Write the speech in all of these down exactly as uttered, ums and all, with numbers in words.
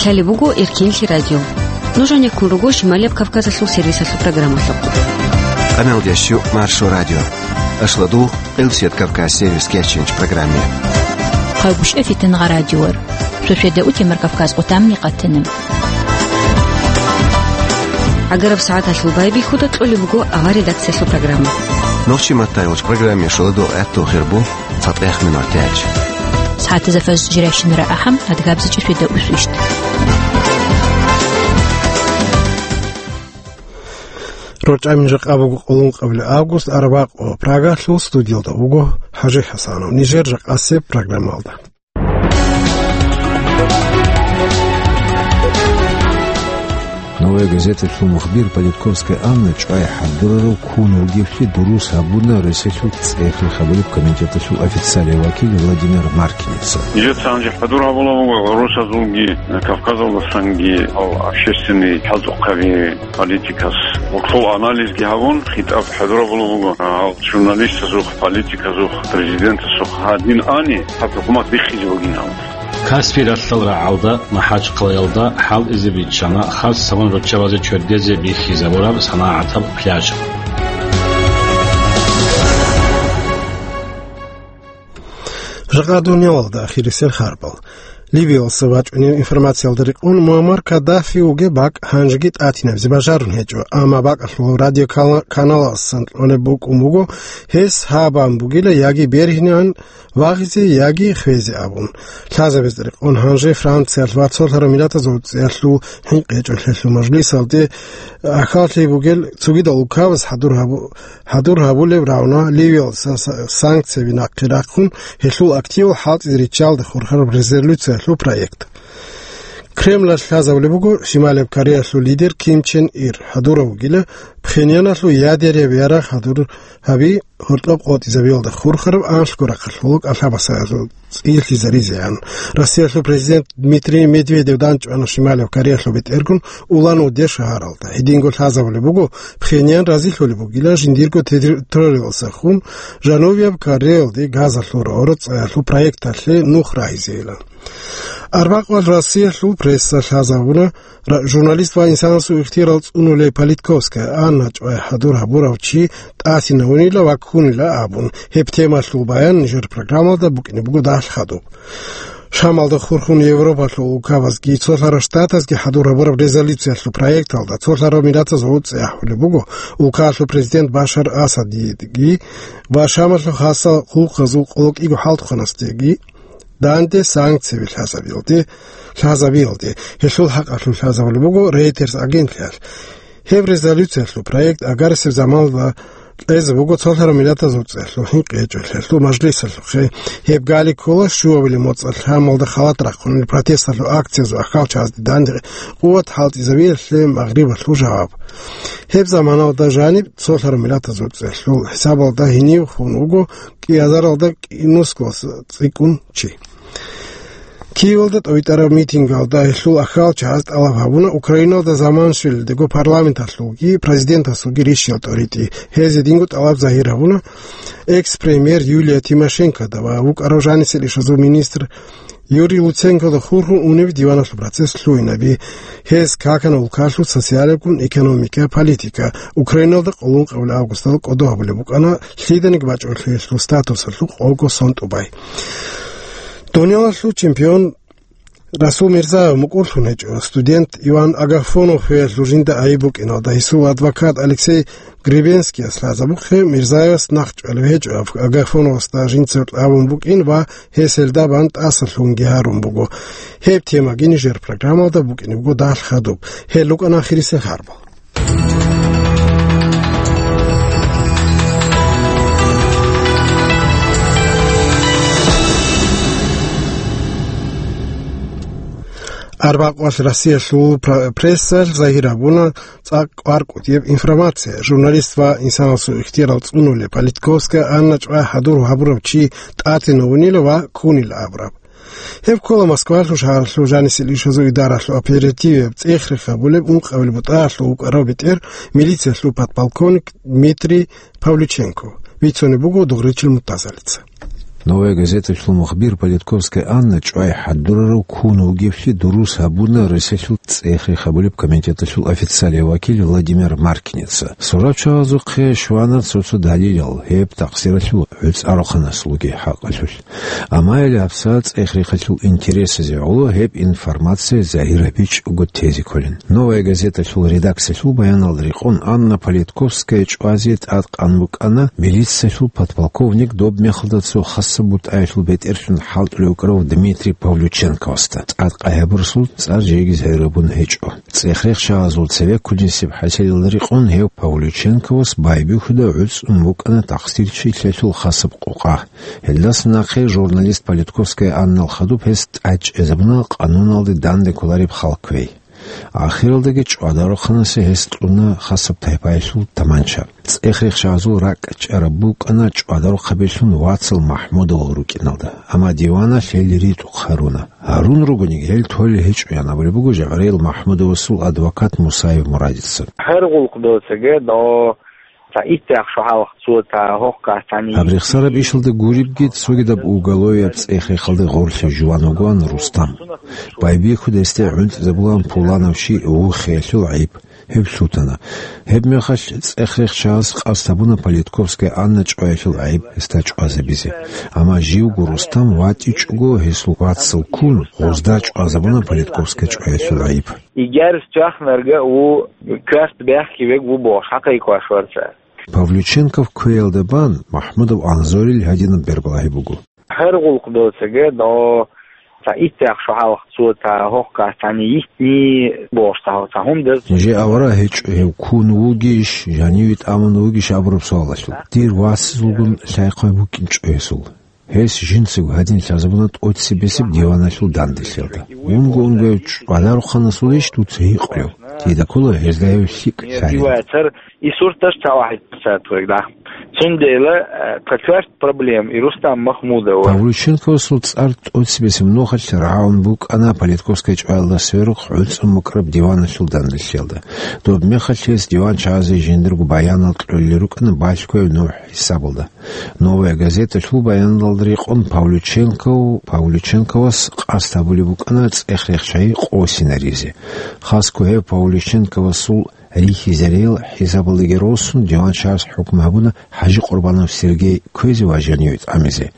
Лъалеб буго Эркинлъи радио. Нуж гьанеккун руго Шималияб Кавказалъул сервисалъул программалъухъ. Къамелдещу Маршо радио. Ашладул Къилсият Кавказ сервис кечинч программе. Хъагушев Фитнагъа радиор. Шошеда утемар Кавказ къутамни къатана. Агараб сагӀаталъул байбихьуда кьолеб буго авар редакциялъул программа. Нохчи маттайолч программе шоладо гӀатту хирбу. ЦатӀех минутач. СагӀатазда фаз жирайщинара ахӀам, адгабзичӀеб шведа усвищ. РорчӀамин жакъа буго къоло ункъабилеб август, араб къо, Прагалъул студиялда вуго ХӀажи ХӀасанов. Нижер жакъасеб программалда. Новая газеталъул мухбир Политковская Анна чӀвай хӀадурарав ккун вугевлъи дурус гьабуна Россиялъул цӀехи хабариб комитеталъул официалияв вакил Владимир Маркиница. Нижеца гьанже хӀадур гьабулеб буго росазулги, Кавказалдасанги гьал общественный хӀалтӀухъаби политикас. Гьоркьов анализги гьабун, хитӀаб хӀадур гьабулеб буго гьал журналистазухъ, политиказухъ, президентасухъ гьадин ани, гьаб хӀукумат биххизе бугин гьал. Каспий ралъдал рагӀалда, МахӀачхъалаялда хӀалтӀизе биччана хасабун руччабазе чордезе бихьизабураб санагӀатаб пляж. Жакъа дуниялалда ахирисел харбал. Либиялъа вачӀунеб информациялда рекъон, Муаммар Каддафи вугеб бакӀ гьанжеги тӀатинабизе бажарун гьечӀо, амма бакӀалъул радиоканалалъасан кьолеб букӀун буго, гьес гьабун бугила яги бергьинан вагъизе, яги хвезе абун. Лъазабизе рекъон, гьанже Франциялъ ва цолъарав миллатазул цӀеялъул хӀинкъи гьечӀолъиялъул мажлисалде ахӀаллъи бугел цогидал улкабаз хӀадур гьабу-, хӀадур гьабулеб равна Ливиялъа са-, санкцияби нахъе рахъун, гьелъул активал хӀалтӀизе риччалде хурхараб резолюциялъул проект. Кремлалъ лъазабулеб буго Шималияб Кореялъул лидер Ким Чен Ир хӀадурав вугила, Пхеньяналъул ядераб ярагъ хӀадур гьаби гьоркьоб къотӀизабиялда хурхараб анлъго рахъалъулъ кӀалъабасаялъул цӀилъизаризеян. Россиялъул президент Дмитрий Медведев данчӀвана Шималияб Кореялъул бетӀергун Улан-Удэ шагьаралда. Гьединго лъазабулеб буго, Пхеньян разилъулеб бугила жиндирго территориялдаса хун Жанубияб Кореялде газалъул рорцӀаялъул проекталъе нух рагьизейилан. Арбакъвал Россиялъул пресса лъазабуна, ра-, журналист ва инсанасул ихтияр цӀунулев Политковская Анна чӀвай хӀадур гьабурав чи тӀасинавунила ва ккунила абун. Гьеб темалъул баян нижер программалда букӀине буго дагьал хадуб. Шамалда хурхун Европалъул улкабазги, цолъарав штатазги хӀадур гьабураб резолюциялъул проекталда цолъарав миллатаз гъуцӀи ахӀулеб буго, улкаялъул президент Башар Асадиги ва Шамалъул хасал хъулухъазул къоло кӀиго хӀалтӀухъанасдеги данде санкцияби лъазабиялде, лъазабиялде, гьелъул хӀакъалъулъ лъазабулеб буго Reuters агентлъиялъ. Гьеб резолюциялъул проект агарисеб заманалда кьезе буго цолъарав миллатазул цӀеялъул хӀинкъи гьечӀолъиялъул мажлисалъухъе. Гьеб гали ккола щуабилеб моцӀалъ Шамалда халат рахъунел протесталъул акциязул ахӀалчагӀазде данде къуват хӀалтӀизабиялъе Магърибалъул жаваб. Гьеб заманалда жаниб цолъарав миллатазул цӀеялъул хӀисабалда гьенив хун вуго кӀиазаралда кӀинусго цӀикӀкӀун чи. Киевалда тӀовитӀараб митингалда гьелъул ахӀалчагӀаз тӀалаб гьабуна Украиналда заман щвелелдего парламенталъулги президентасулги рищал тӀоритӀи. Гьез гьединго тӀалаб загьир гьабуна экс-премьер Юлия Тимошенкода ва вукӀарав жанисел ишазул министр Юрий Луценкода хурхун унев диваналъул процесс лъугьинаби. Гьез какана улкалъул социалабгун экономика, политика, Украиналда къоло ункъабилеб августалда кӀодо гьабулеб букӀана лъиданиги бачӀунелъул статусалъул къого сон тӀубай. Дуниялалъул чемпион Расул Мирзаев мукӀурлъун гьечӀо. Студент Иван Агафонов гьелъул жинда айиб букӀиналда гьесул адвокат Алексей Гребенскияс лъазабухъе, Мирзаевас нахъ чӀвалеб гьечӀо, Агафоновасда жинца абун букӀин ва гьес гьелда бан тӀасалъугьунги гьарун буго. Гьеб темаги нижер программалда букӀине буго дагьал хадуб. Гьел рукӀана ахирисел харбал. Арбакъвалъ Россиялъул пр-, прессалъ загьир гьабуна цӀакъ кӀваркӀутӀияб информация. Журналист ва инсанасул ихтияр цӀунулев Политковская Анна чӀвай хӀадур гьабурав чи тӀатинавунила ва ккунила абураб. Гьеб ккола Москвалъул шагьаралъул жанисел ишазул идаралъул оперативияб цӀех рехабулеб ункъабилеб бутӀаялъул вукӀарав бетӀер, милициялъул подполковник Дмитрий Павлюченко. Бицунеб буго Дугъричил Муртазалица. «Новая газеталъул» мухбир Политковская Анна чӀвай хӀадурарав ккун вугевлъи дурус гьабуна Россиялъул цӀех-рех гьабулеб комитеталъул официалияв вакил Владимир Маркиница. Сурачагъазухъе щвана цо-цо далилал, гьеб такъсиралъул гӀуцӀарухъанасулги хӀакъалъулъ. Амма гьабсагӀат цӀех-рехалъул интересазе гӀоло гьеб информация загьир гьабичӀого тезе кколин. «Новая газеталъул» редакциялъул баяналда рекъон Анна Политковская чӀвазе тӀадкъан букӀана милициялъул подполковник, доб мехалда цо хасаб бутӀаялъул бетӀерлъун хӀалтӀулев вукӀарав Дмитрий Павлюченковасда. ТӀадкъай гьабурасул цӀар жеги загьир гьабун гьечӀо. ЦӀех-рехчагъазул цебеккунисеб хӀасилалда рекъон гьев Павлюченковас байбихьуда гӀуцӀун букӀана такъсирчилъиялъул хасаб къокъа. Гьелдаса нахъе журналист Политковская Аннал хадуб гьес тӀадчӀезабуна къануналде данде кколареб хал кквей. Ахиралдаги ЧӀвадарухъанасе гьес кьуна хасаб тайпаялъул таманча. ЦӀех-рехчагъазул ракӀчӀараб букӀана ЧӀвадарухъабилъун вацал МахӀмудовал рукӀиналда, амма диваналъ гьел ритӀухъ гьаруна. Гьарун ругониги, гьел толел гьечӀоян абулеб буго ЖагӀраил МахӀмудовасул адвокат Мусаев Мурадица. Гьар гъулкъ доцаги до ца иттяхъ шо хӀалхъ цо ца гьохъ касани. Гьаб рехсараб ишалда гуребги, цогидаб уголовияб цӀех-рехалда гъорлъе жуван вугоан Рустам. Байбихьуд гьесде гӀунтӀизабулаан пуланав щий вухиялъул гӀайиб. Гьеб лъутана. Гьеб мехалъ цӀех-рехчагъас къасд гьабуна Политковская Анна чӀваялъул гӀайиб гьесда чӀвазабизе. Амма живго Рустам ватӀичӀого гьесул вацал ккун, гъозда чӀвазабуна Политковская чӀваялъул гӀайиб. Игер чахнарга у квест бехки вег ву бохш, хӀакъи кваш варца. Павлюченков кквеялда бан МахӀмудов Анзорил гьадинаб бербалагьи буго. Гьар гъулкъ доцаги до ца иттяхъ шо хӀалхъ цо ца гьохъ касани йитни бохш ца гьо-, ца гьундаз. Нижее авараг гьечӀо гьев ккун вугищ, жаниве тӀамун вугищ абураб суалалъул. Дир васазулгун лъай-хъвай букӀинчӀо гьесул. Гьес жинцаго гьадин лъазабуна тӀоцебесеб диваналъул данделъиялда. Унго-унгояв ЧӀвадарухъанасулищ дуца гьикъулев? Дида ккола гьезда гьев лъикӀ лъалеб. Диваяцар и сурташ цавахӀи цатвегда. Цундела, э, цо квест проблем и Рустам Махмудова. Павлюченковасул цӀар тӀоцебесеб нухалъ рагӀун букӀана Политковская чӀваялда сверухъ гӀуцӀун букӀараб диваналъул данделъиялда. Доб мехалъ гьес диванчагӀазе жиндирго баянал кьолел рукӀана балъгояб нугӀ хӀисабалда. «Новая газеталъул» баяналда рекъон Павлюченков, Павлюченковас къасд гьабулеб букӀана цӀех-рехчагӀи къосинаризе. Хасго гьев Павлюченковасул рихьизариял хӀисабалдаги росун, диванчагӀас хӀукму гьабуна ХӀажи Къурбанов Сергей кквезе ва жаниве тӀамизе.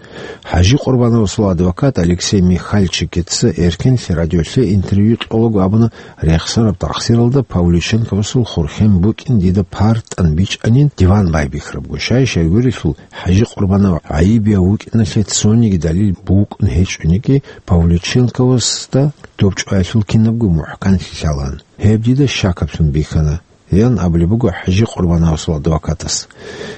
ХӀажи Къурбановасул адвокат Алексей Михальчикица Эркенлъи радиолъе интервью кьолаго абуна, рехсараб такъсиралда Павлюченковасул хурхен букӀин дида партӀан бичӀанин диван байбихьарабго. Щай-щайгурелъул ХӀажи Къурбанов гӀайибияв вукӀиналъе цониги далил букӀун гьечӀониги, Павлюченковасда доб чӀваялъул кинабго мухӀканлъи лъалаан. Гьеб дида щакаблъун бихьана, ян абулеб буго ХӀажи Къурбановасул адвокатас.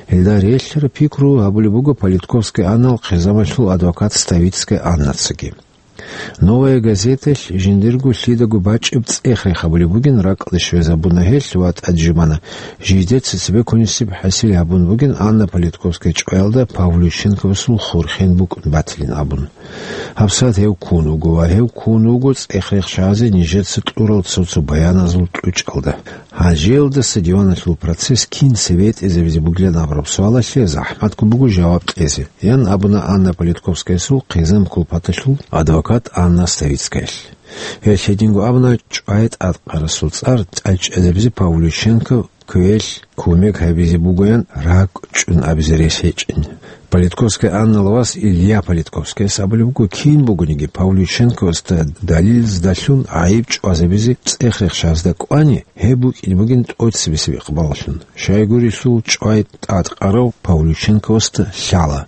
Гьелда релълъараб пикру гьабулеб буго Политковская Аннал хъизамалъул адвокат Ставицкая Аннацаги. «Новая газеталъ» жиндирго лъидаго бачӀеб цӀех-рех гьабулеб бугин, ракӀалде щвезабуна гьелъ ва тӀаде жубана. Жидеца цебеккунисеб хӀасил гьабун бугин Анна Политковская чӀваялда Павлюченковасул хурхен букӀун батилин абун. ГьабсагӀат гьев ккун вуго ва гьев ккун вуго цӀех-рехчагӀазе нижеца кьурал цо-цо баяназул кьучӀалда. Гьанжеялдаса диваналъул процесс кинца бетӀизабизе бугилан абураб суалалъе захӀматго буго жаваб кьезе, ян абуна Анна Политковскаясул хъизан кулпаталъул адвокат Анна Ставицкаялъ. Гьелъ гьединго абуна, чӀвай тӀадкъарасул цӀар тӀадчӀезабизе Павлюченков кквеялъ кумек гьабизе бугоян ракӀчӀун абизе рес гьечӀин. Политковская Аннала вас Илья Политковскияс абулеб буго, кин бугониги Павлюченковасда далилаздалъун гӀайиб чӀвазабизе цӀех-рехчагӀазда кӀвани, гьеб букӀине бугин тӀоцебесеб икъбалалъун. Щайгурелъул чӀвай тӀадкъарав Павлюченковасда лъала,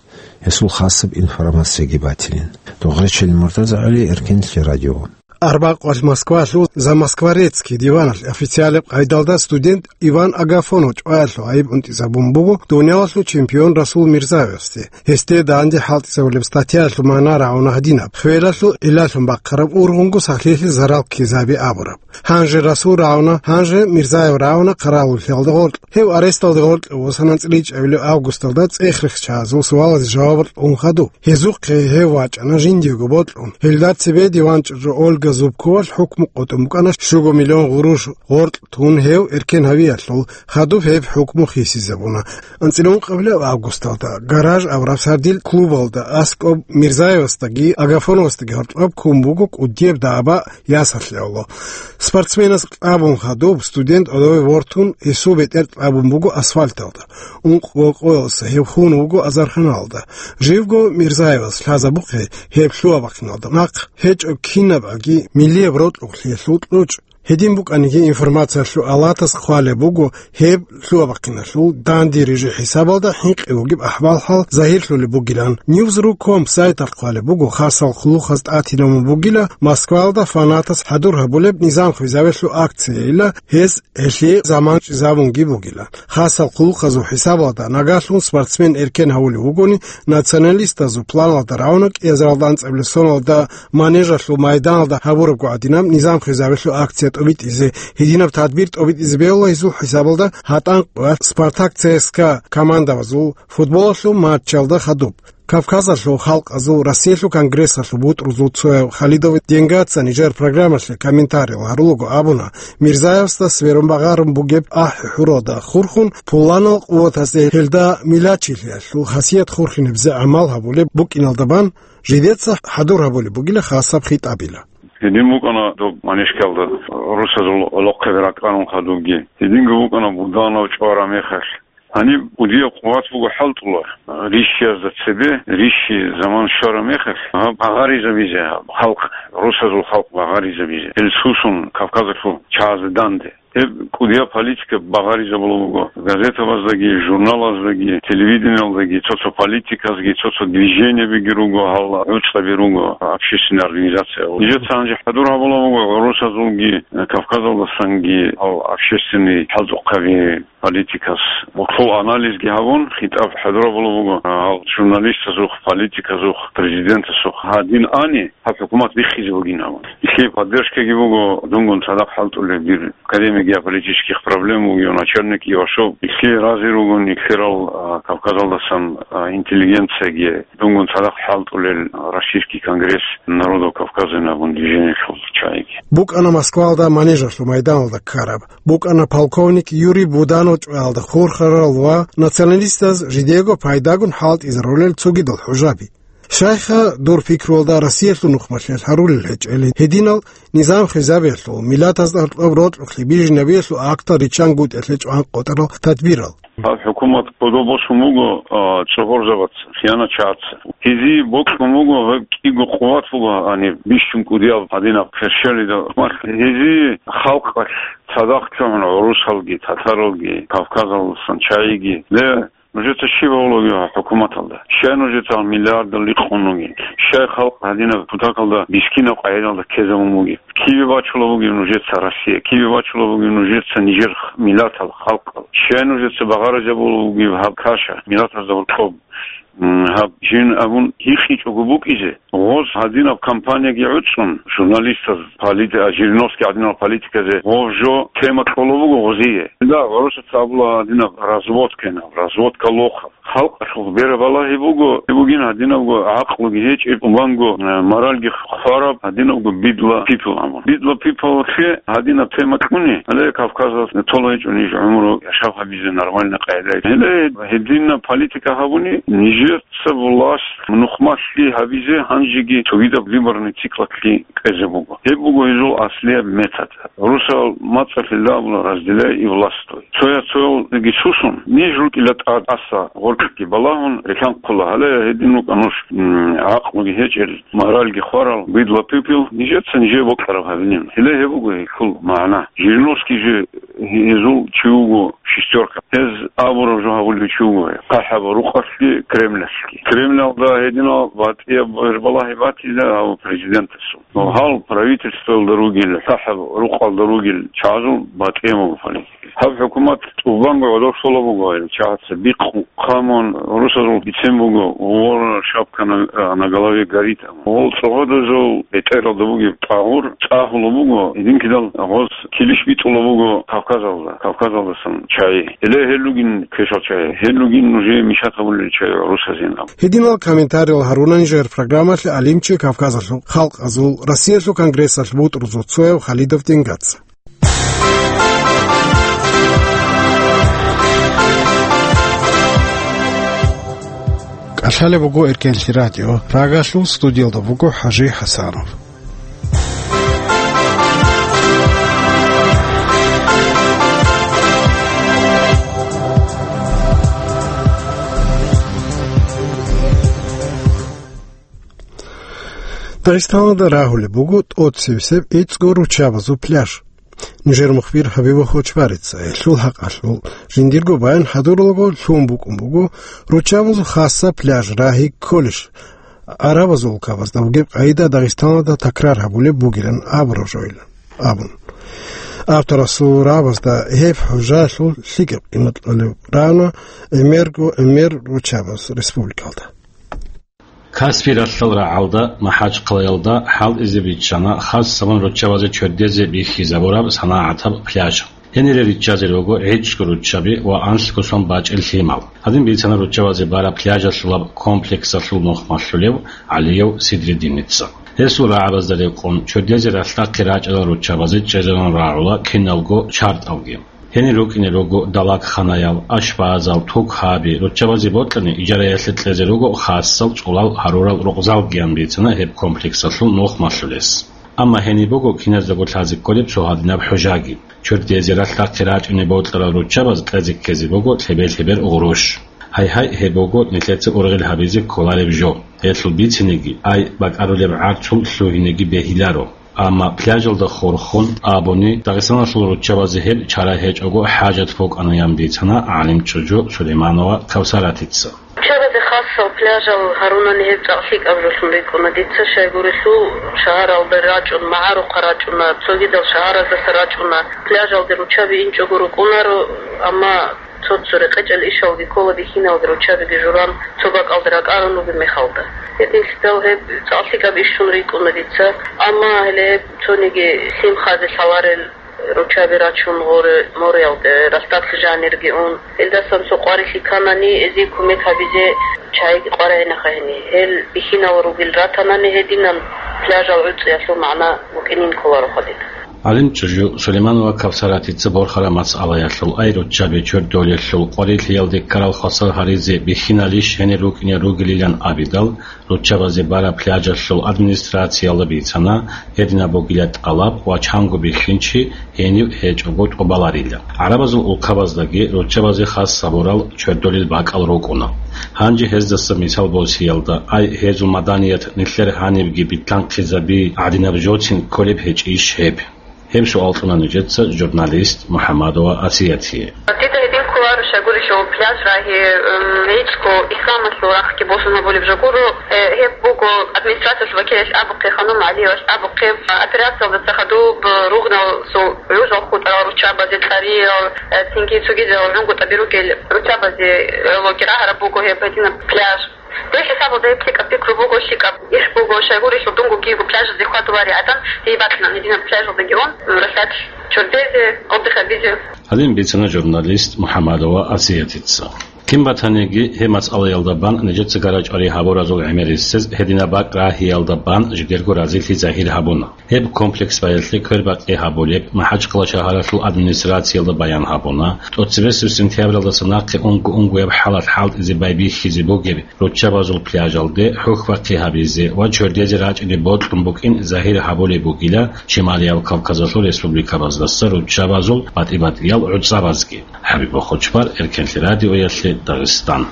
гьесул хасаб информацияги батилин. Догъречел Муртазагьали, Эркенлъи радио. Арбакъвалъ Москвалъул «За Москворецкий» диваналъ официалаб къайдалда студент Иван Агафонов чӀваялъул гӀайиб унтӀизабун буго дуниялалъул чемпион Расул Мирзаевасде. Гьесде данде хӀалтӀизабулеб статьяялъул магӀна рагӀуна гьадинаб: хвелалъул гӀиллалъун бахъараб ургъунго сахлъиялъе зарал ккезаби абураб. Гьанже Расул рагӀуна, гьанже Мирзаев рагӀуна хъаравуллъиялда гъоркь. Гьев аресталде гъоркье восана анцӀила ичӀабилеб августалда цӀех-рехчагӀазул суалазе жавабал кьун хадуб. Гьезухъе гьев вачӀана жиндиего бокьун. Гьелда цебе диван чӀужу Ольга Зубковалъ хӀукму къотӀун букӀана щуго миллион гъурущ гъоркь тун гьев эркен гьавиялъул, хадуб гьеб хӀукму хисизабуна. АнцӀила ункъабилеб августалда гараж абураб сардил клубалда аскӀоб Мирзаевасдаги Агафоновасдаги гьоркьоб ккун буго кӀудияб даба ясалъе авло. Спортсменас кьабун хадуб студент гӀодове вортун гьесул бетӀер кьабун буго асфальталда. Ункъго къоялъ гьев хун вуго азарханалда. Живго Мирзаевас лъазабухъе гьеб лъугьа-бахъиналда нахъ гьечӀо кинабгӀаги миллияб рокьукълъиялъул кьучӀ. Гьедин букӀаниги, информациялъул алатас хъвалеб буго, гьеб лъугьа-бахъиналъул данде рижи хӀисабалда хӀинкъи вугеб ахӀвал-хӀал загьирлъулеб бугилан. Ньюзру ком сайталъ хъвалеб буго, хасал хъулухъаз тӀатинабун бугила Москваялда фанатас хӀадур гьабулеб низам хвезавелъул акцияйила гьез гьелъие заман чӀезабунги бугилан. Хасал хъулухъазул хӀисабалда нагагьлъун спортсмен эркен гьавулев вугони, националистазул планалда равно кӀиазаралда анцӀабилеб соналда манежалъул майданалда гьабурабго гӀадинаб низам хвезабелъул акция тӀобитӀизе, гьединаб тадбир тӀобитӀизе бегьула гьезул хӀисабалда гьатӀан къоялъ Спартак ЦСКА командабазул футболалъул матчалда хадуб. Кавказалъул халкъазул Россиялъул конгрессалъул бутӀрузул цояв Халидов Денгацани жер программалъе комментариял гьарулаго абуна, Мирзаевасда сверун багъарун бугеб ахӀи-хӀуралда хурхун, пуланал къуватазде гьелда милачилъиялъул хасият хурхинебзе гӀамал гьабулеб букӀиналда бан, жидеца хӀадур гьабулеб бугила хасаб хитӀабила. Гьедин букӀана доб манежкалда русазул гӀолохъаби ракӀарун хадубги. Гьединго букӀана Буданов чӀвара мехалъ. Гьаниб кӀудияб къуват буго хӀалтӀула рищиязда цебе, рищи заман щвара мехалъ, гьаб багъаризабизе, гьаб халкъ, русазул халкъ багъаризабизе. Гьел сусун Кавказалъул чагӀазда данде. Гьеб кӀудияб политика багъаризабула буго. Газетабаздаги, журналаздаги, телевидениялдаги цо-цо политикасги, цо-цо движениябиги руго, гьал гӀуцӀаби руго, общественный организация. Нижеца гьанже хӀадур гьабула буго гӀурусазулги, Кавказалдасанги гьал общественный хӀалтӀухъаби политикас. Гьелъул анализги гьабун, хитӀаб хӀадур гьабула буго, гьал журналистазухъ, политиказухъ, президентасухъ гьадин ани, гьаб хӀукумат биххизе бугин абун. Нилъее поддержкаги буго, дунгун цадахъ хӀалтӀулеб дир академия геополитических проблем вугев начальник Ивашов. Нилъее рази ругун, нилъерал, а, Кавказалдасан, а, интеллигенцияги дунгун цадахъ хӀалтӀулел Российский конгресс народов Кавказа абун движениялъул чагӀиги. БукӀана Москвалда манежалъул майданалда ккараб. БукӀана полковник Юрий Буданов чӀваялда хурхарал ва националистаз жидего пайдагун хӀалтӀизарулел цогидал хӀужаби. Щайха дур пикруялда Россиялъул нухмалъиялъ гьарулел гьечӀели, гьединал низам хвезабиялъул, миллатазда гьоркьоб рокьухълъи бижинабиялъул актал риччангутӀиялъе чӀван къотӀарал тадбирал? Гьаб хӀукумат кодобосун буго, а, цӀогьорзабаца, хиянатчагӀаца. Гьезие бокьун буго гьеб кӀиго къуват буго гьаниб бищун кӀудияб гьадинаб херщалида. Гьезие халкъалъ цадахъ чӀвагӀун гӀурусалги, татаралги, Кавказалдасан чагӀиги. Ле, нужеца щиб гьавулаги хӀукуматалда? Щай нужеца миллиардал рикъун ругел? Щай халкъ гьадинаб кутакалда бискинаб къагӀидалда ккезабун бугеб? Кибе бачула бугеб нужеца Россия? Кибе бачула бугеб нужеца нижер миллатал, халкъал? Щай нужеца багъаризабула бугеб гьаб каша миллатазда гьоркьоб? М, гьаб жин абун гьикъичӀого букӀизе, гъоз гьадинаб кампанияги гӀуцӀун, журналистаз, полит-, а, Жириновский гьадинал политиказе гъов жо тема кьола буго гъозие. Да, гъоросаца абула гьадинаб разводка инаб, разводка лохаб. Халкъалъул бера балагьи буго, бугин гьадинабго гӀакълуги гьечӀеб, убанго, э, моральги хвараб, гьадинабго бидла people абун. Бидла people-лъе гьадинаб тема кьуни, гьале Кавказалъ тола гьечӀо ниж гӀумру яшав гьабизе нормальный къайдаялъ. Гьеле гьединаб политика гьабуни, нижер Ца власть нухмалъи гьабизе гьанжеги цогидаб выборный циклалъе кьезе буго. Гьеб буго гьезул аслияб метод. Русал мацӀалъе абула: «Разделяй и властвуй». Цоя-цоялдеги сусун, ниж рукӀила тӀад аса гъоркьги балагьун релъанхъула. Гьале гьедин рукӀа нуж, м, гӀакълуги гьечӀел, моральги хварал, бидла people, нижеца нижее бокьараб гьабилин. Гьеле гьеб буго гьелъул магӀна. Жириновский же гьезул чи вуго, шестерка. Гьез абураб жо гьабулев чи вуго, хъахӀаб рукъалъги Кремлалъги. Кремлалда гьединал батӀияб гӀербалагьи батила гьав президентасул. Гьал правительствоялда ругел, хъахӀаб рукъалда ругел чагӀазул батӀияб буго политика. Гьаб хӀукумат тӀубанго гӀодов щола буго гьел чагӀаца бикъу хъамун, русазул бицен буго, вор шапка на, на голове горит. Гъол цӀогьодазул бетӀералда бугеб тӀагъур цӀагьула буго, гьединкидал гъоз килищ битӀула буго, Кавказалда, Кавказалдасан чагӀи. Гьеле гьел ругин квешал чагӀи. Гьел ругин нужее мешать гьабулел чагӀи гӀурусазин аб. Гьединал комментариял гьарунани жер программалъе гӀалимчи, Кавказалъул халкъазул Россиялъул конгрессалъ бутӀрузул цояв Халидов Денгаца. КӀалъалеб буго Эркенлъи радио. Прагалъул студиялда буго ХӀажи ХӀасанов. Дагъистаналда рагьулеб буго тӀоцебесеб гӀицӀго руччабазул пляж. Нижер мухбир Хабибов Хочбарица гьелъул хӀакъалъулъ жиндирго баян хӀадуралго, лъун букӀун буго руччабазул хасаб пляж рагьи кколищ, гӀарабазул улкабазда бугеб къагӀида Дагъистаналда такрар гьабулеб бугилан абураб жойилан абун. Авторасул рагӀабазда гьеб хӀужаялъул лъикӀаб къимат кьолеб рана гӀемерго гӀемер руччабаз республикалда. Каспий ралъдал рагӀалда, МахӀачхъалаялда хӀалтӀизе биччана хасабун руччабазе чордезе бихьизабураб санагӀатаб пляж. Гьенире риччазе руго гӀицӀго руччаби ва анлъго сон бачӀел лъимал. Гьадин бицана руччабазе бараб пляжалъулаб комплексалъул нухмалъулев ГӀалиев Сидреддиница. Гьесул рагӀабазда рекъон, чордезе ралъдахъе рачӀарал руччабазе чӀезарун рагӀула киналго чартӀалги. Гьенир рукӀине руго далагханаял, ашбазал, тукаби, руччабазе бокьани, ижараялъе кьезе руго хасал цӀулал гьарурал рукъзалгиян бицана гьеб комплексалъул нухмалъулес. Амма гьениб буго киназдаго лъазе кколеб цо гьадинаб хӀужаги. Чордезе ралъдахъе рачӀине бокьарал руччабаз кьезе ккезе буго лъебер-лъебер гъурущ. Гьай-гьай, гьеб буго нилъеца ургъел гьабизе кколареб жо. Гьелъул бициниги, ай, бакӀарулеб гӀарцул лъугьинеги бегьиларо. Амма пляжалда хурхун абуни, Дагъистаналъул руччабазе гьеб чара гьечӀого хӀажат букӀана, ян бицана гӀалимчӀужу Сулейманова Кавсаратица. Руччабазе хасал пляжал гьарунани гьеб цӀакъ лъикӀаб жолъун рикӀкӀуна дица, щайгурелъул шагьаралда рачӀун, магӀарухъа рачӀуна, цогидал шагьараздаса рачӀуна. Пляжалде руччаби инчӀого рукӀунаро, амма цо-цо рекъечӀел ишалги ккола, бихьиналги руччабиги журан цо бакӀалда ракӀарун ругеб мехалда. Гьединлъидал гьеб цӀакъ лъикӀаб ишун рикӀкӀуна дица, амма гьеле гьеб цониги лъим хазе лъаларел руччаби рачун гъоре мореялде, ралъдалъ жанирги ун. Гьелдасан цо къварилъи кканани, гьезие кумек гьабизе чагӀиги къваригӀинаха гьени. Гьел бихьинал ругел ратанани, гьединан пляжал гӀуцӀиялъул магӀна букӀинин кколароха дида. ГӀалимчӀужу Сулейманова Кавсаратица борхараб масъалаялъул, ай руччаби чордолелъул къварилъиялде ккарал хвасар гьаризе бихьиналищ гьенир рукӀине ругелилан абидал, руччабазе бараб пляжалъул администрациялда бицана, гьединаб бугила тӀалаб ва чанго бихьинчи гьенив гьечӀого тӀубаларила. ГӀарабазул улкабаздаги руччабазе хас гьабурал чордолел бакӀал рукӀуна. Гьанже гьездаса мисал босиялда, ай, гьезул маданият нилъер гьанибги битлъанхъизаби гӀадинаб жоцин кколеб гьечӀищ гьеб? Гьеб суал кьуна нижеца журналист МухӀаммадова Асиятие. Дида гьедин кколаро, щайгурелъул пляж рагьи, м, гӀицӀго исламалъул рахъги босун гьабулеб жо гуро. Э, гьеб буго администрациялъул вакилалъ абухъе, Ханум ГӀалиевалъ абухъе, операциялдаса хадуб ругъналъул гӀужал хутӀарал руччабазе, цӀариял, э, цинги цогидал гӀунгутӀаби ругел руччабазе гӀологи рагьараб буго гьеб гьединаб пляж. Дир хӀисабалда гьеб лъикӀаб пикру буго, лъикӀаб иш буго, щайгурелъул дунго киего пляжазде хьвадуларел гӀадан, гьей бакьана гьединаб пляжалдаги ун, ралъдалъ чордезе, отдых гьабизе. Гьадин бицана журналист МухӀаммадова Асиятица. Кин батаниги, гьеб масъалаялда бан нижеца гарачӀвари гьабуразул гӀемерисез гьединаб бакӀ рагьиялда бан жидерго разилъи загьир гьабуна. Гьеб комплекс баялъе квербакъи гьабулеб, МахӀачхъала шагьаралъул администрациялда баян гьабуна, тӀоцебесеб сентябралдаса нахъе унго-унгояб хӀалалъ хӀалтӀизе байбихьизе бугеб руччабазул пляжалде хӀухьбахъи гьабизе ва чордезе рачӀине бокьун букӀин загьир гьабулеб бугила Шималияб Кавказалъул республикабаздаса руччабазул батӀи-батӀиял гӀуцӀабазги. ХӀабиб Бохочбар, Эркенлъи радиоялъе, Дагъистан.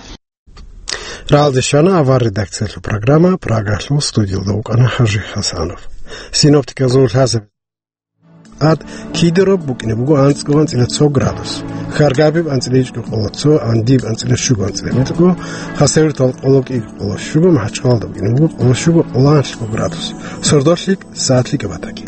Рагьалде щвана авар редакциялъул программа, Прагалъул студиялда вукӀана ХӀажи ХӀасанов. Синоптикалъул лъазаб ад кидераб букӀине буго анцӀго анцӀила цо градус. Хьаргабиб анцӀила ичӀго къоло цо, Андиб анцӀила щуго анцӀила метӀго, Хасавюрталда къоло кӀиго къоло щуго, МахӀачхъалалда букӀине буго къоло щуго къоло анлъго градус. Сордолъи сагӀатлъи кабатаги.